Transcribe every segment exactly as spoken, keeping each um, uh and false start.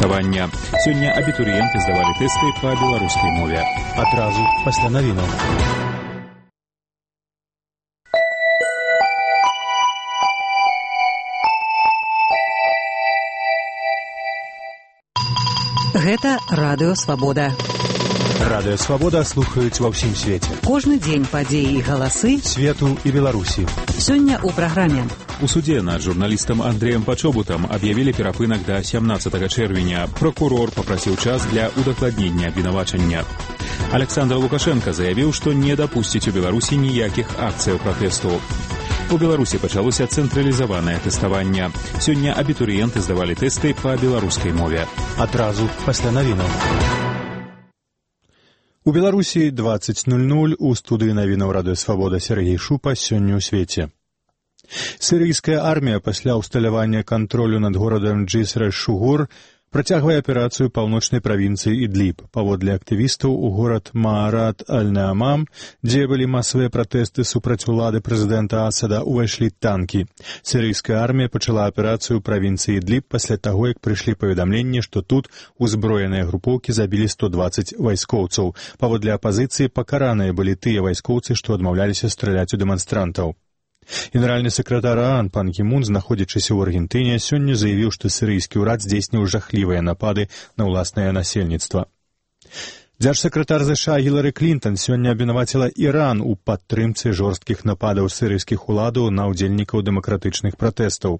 тэставання. Сёння абітурыенты здавалі тэсты па беларускай мове. Адразу пасля навінаў. Гэта Радыё Свабода. Радыё Свабода слухаюць ва ўсім свеце. Кожны дзень падзеі і галасы свету і Беларусі. Сёння ў праграме. У суде над журналістам Андрэем Пачобутам аб'явілі перапынак да сямнаццатага чэрвеня. Прокурор папрасіў час для удакладнення абвінавачання. Александр Лукашенко заявіў, што не дапусціць у Беларусі ніякіх акцыяў пратэсту. У Беларусі пачалося цэнтралізаванае тэставанне. Сёння абітурыенты здавалі тэсты па беларускай мове. Адразу пасля навінаў. У Беларусі дваццаць нуль нуль у студыі навінаў Радыё Свабода Сергей Шупа сёння ў свеце. Сірыйская армія пасля ўсталявання кантролю над горадам Джиср-эш-Шугур працягвае аперацыю паўночнай правінцыі Ідліб. Паводле актывістаў, у горад Маарат аль-Наамам, дзе былі масавыя пратэсты супраць улады прэзідэнта Асада, увайшлі танкі. Сірыйская армія пачала аперацыю ў правінцыі Ідліб пасля таго, як прыйшлі паведамленні, што тут узброеныя групоўкі забілі сто дваццаць вайскоўцаў. Паводле апазіцыі пакараныя былі тыя вайскоўцы, што адмаўляліся страляць у дэманстрантаў. Генеральны сакратар ААН пан Кі Мун, знаходзячыся ў Аргентыне, сёння заявіў, што сірыйскі ўрад здзейсніў жахлівыя напады на ўласнае насельніцтва. Дзяржсакратар ЗША Гілары Клінтон сёння абвінаваціла Іран у падтрымцы жорсткіх нападаў сірыйскіх уладаў на ўдзельнікаў дэмакратычных пратэстаў.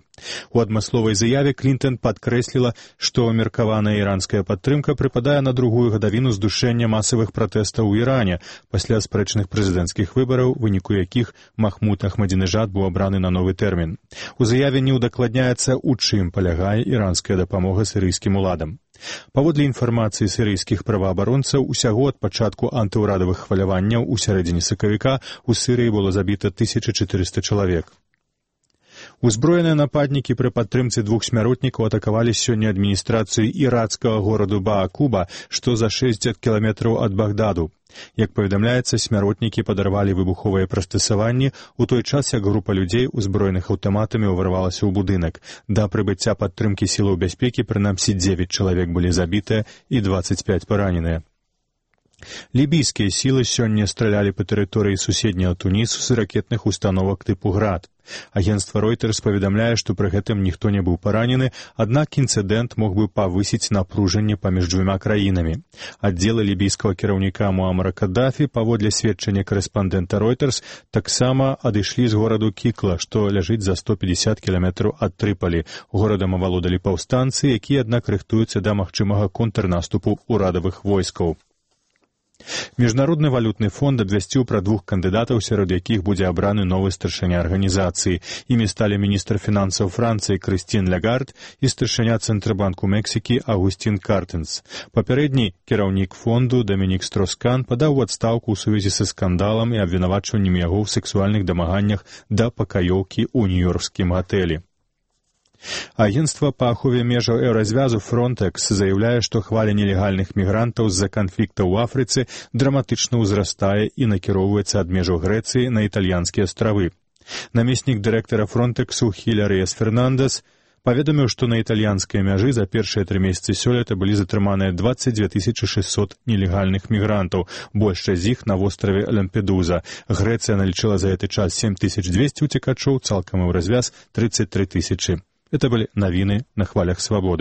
У адмысловай заяве Клінтон падкрэсліла, што меркаваная іранская падтрымка прыпадае на другую гадавіну здушэння масавых пратэстаў у Іране пасля спрэчных прэзідэнцкіх выбараў, у выніку якіх Махмуд Ахмадзінежад быў абраны на новы тэрмін. У заяве не ўдакладняецца, у чым палягае іранская дапамога сірыйскім уладам. Паводле інфармацыі сірыйскіх праваабаронцаў, усяго ад пачатку антыўрадавых хваляванняў у сярэдзіне сакавіка ў Сірыі было забіта тысяча чатырыста чалавек. Узброеныя нападнікі пры падтрымцы двух смяротнікаў атакавалі сёння адміністрацыю ірацкага гораду Баакуба, што за шэсцьдзесят кіламетраў ад Багдаду. Як паведамляецца, смяротнікі падарвалі выбуховыя прыстасаванні у той час, як група людзей, узброеных аўтаматамі, ўварвалася ў будынак. Да прыбыцця падтрымкі сілаў бяспекі прынамсі дзевяць чалавек былі забітыя і дваццаць пяць параненыя. Лібійскія сілы сёння стралялі па тэрыторыі суседняга Тунісу з ракетных установак тыпу «Град». Агенцтва Reuters паведамляе, што пры гэтым ніхто не быў паранены, аднак інцыдэнт мог бы павысіць напружанне паміж дзвюма краінамі. Аддзелы лібійскага кіраўніка Муамара Каддафі, паводле сведчання корэспандэнта Reuters, таксама адышлі з гораду Кікла, што ляжыць за сто пятьдесят кіламетраў ад Трыпалі. Горадам авалодалі паўстанцы, якія, аднак, рыхтуюцца да магчымага контрнаступу ўрадавых войскаў. Міжнародны валютны фонд абвясціў пра двух кандыдатаў, сярод якіх будзе абраны новы старшыня арганізацыі. Імі сталі міністр фінансаў Францыі Крыстін Лягард і старшыня Цэнтрабанку Мексікі Агусцін Картэнс. Папярэдні кіраўнік фонду Дамінік Строскан падаў у адстаўку ў сувязі са скандалам і абвінавачваннем яго ў сэксуальных дамаганнях да пакаёўкі ў нью-ёркскім гатэлі. Агенцтва па ахове межаў еўразвязу Фронтекс заяўляе, што хваля нелегальных мігрантаў з-за канфлікта ў Афрыцы драматычна ўзрастае і накіроўваецца ад межаў Грэцыі на італьянскія астравы. Намеснік дырэктара Фронтексу Хіляры Эс Фернандес паведаміў, што на італьянскай мяжы за першыя тры месяцы сёлета былі затрыманыя дваццаць дзве тысячы шэсцьсот нелегальных мігрантаў, большасць з іх на востраве Лямпедуза. Грэцыя налічыла за гэты час сем тысяч дзвесце уцекачоў, цалкам у развяз тридцать три тысячи. Это были новины на хвалях свободы.